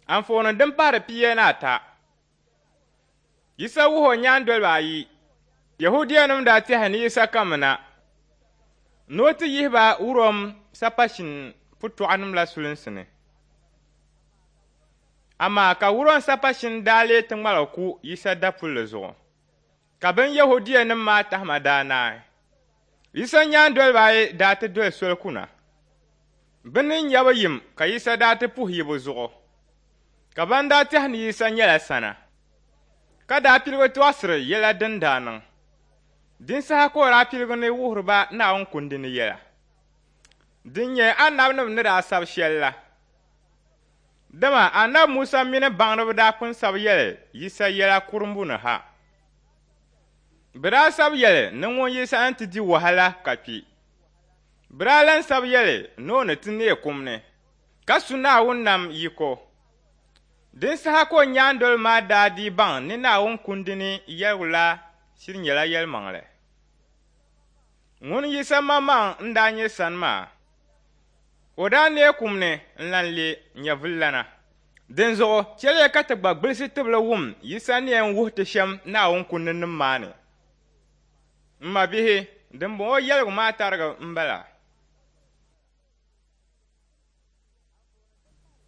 Anfooni din pahiri 15. Yisa wuhi o nyaandoliba ayi. Yɛhudianim daa tɛhi ni Yisa kamina ni o ti yihi ba Rom sapashin putɔɣunim la sulinsi ni. Amaa ka Rom sapashin daa lee ti ŋmaligi ku Yisa dapulli zuɣu, ka bɛn Yɛhudianim maa tahima daa naai. Yisa nyaandoliba ayi daa ti doli soli kuna. Bɛ ni nyabu yim ka Yisa daa ti puhi yibu zuɣu, ka ban daa tɛhi ni Yisa nyɛla sana, ka daa piligi tɔɣisiri yɛla din daa niŋ. Din saha ka o daa piligi ni wuhiri ba Naawuni kundi ni yɛla, din nyɛ anabinim ni daa sabi shɛli la. Dama Anabi Musa mini baŋdiba daa pun sabi yɛli Yisa yɛla kurimbu ni ha. Bɛ daa sabi yɛli ni ŋun Yisa ni ti di wahala ka kpi. Bɛ daa lan sabi yɛli ni o ni ti neei kum ni, ka su Naawuni nam yiko. Din saha ka o nyaandoliba maa daa dii baŋ ni Naawuni kundi ni yɛligu la shiri nyɛla yɛlimaŋli. Ŋun Yisa maŋmaŋ n-daa nyɛ sani maa. O daa neei kum ni n-lan leei nyɛvililana. Dinzuɣu chɛliya ka ti gba gbilisi tibili wum Yisa ni yɛn wuhi ti shɛm Naawuni kundinim maa ni. M mabihi, dimbɔŋɔ yɛligu maa tariga m-bala.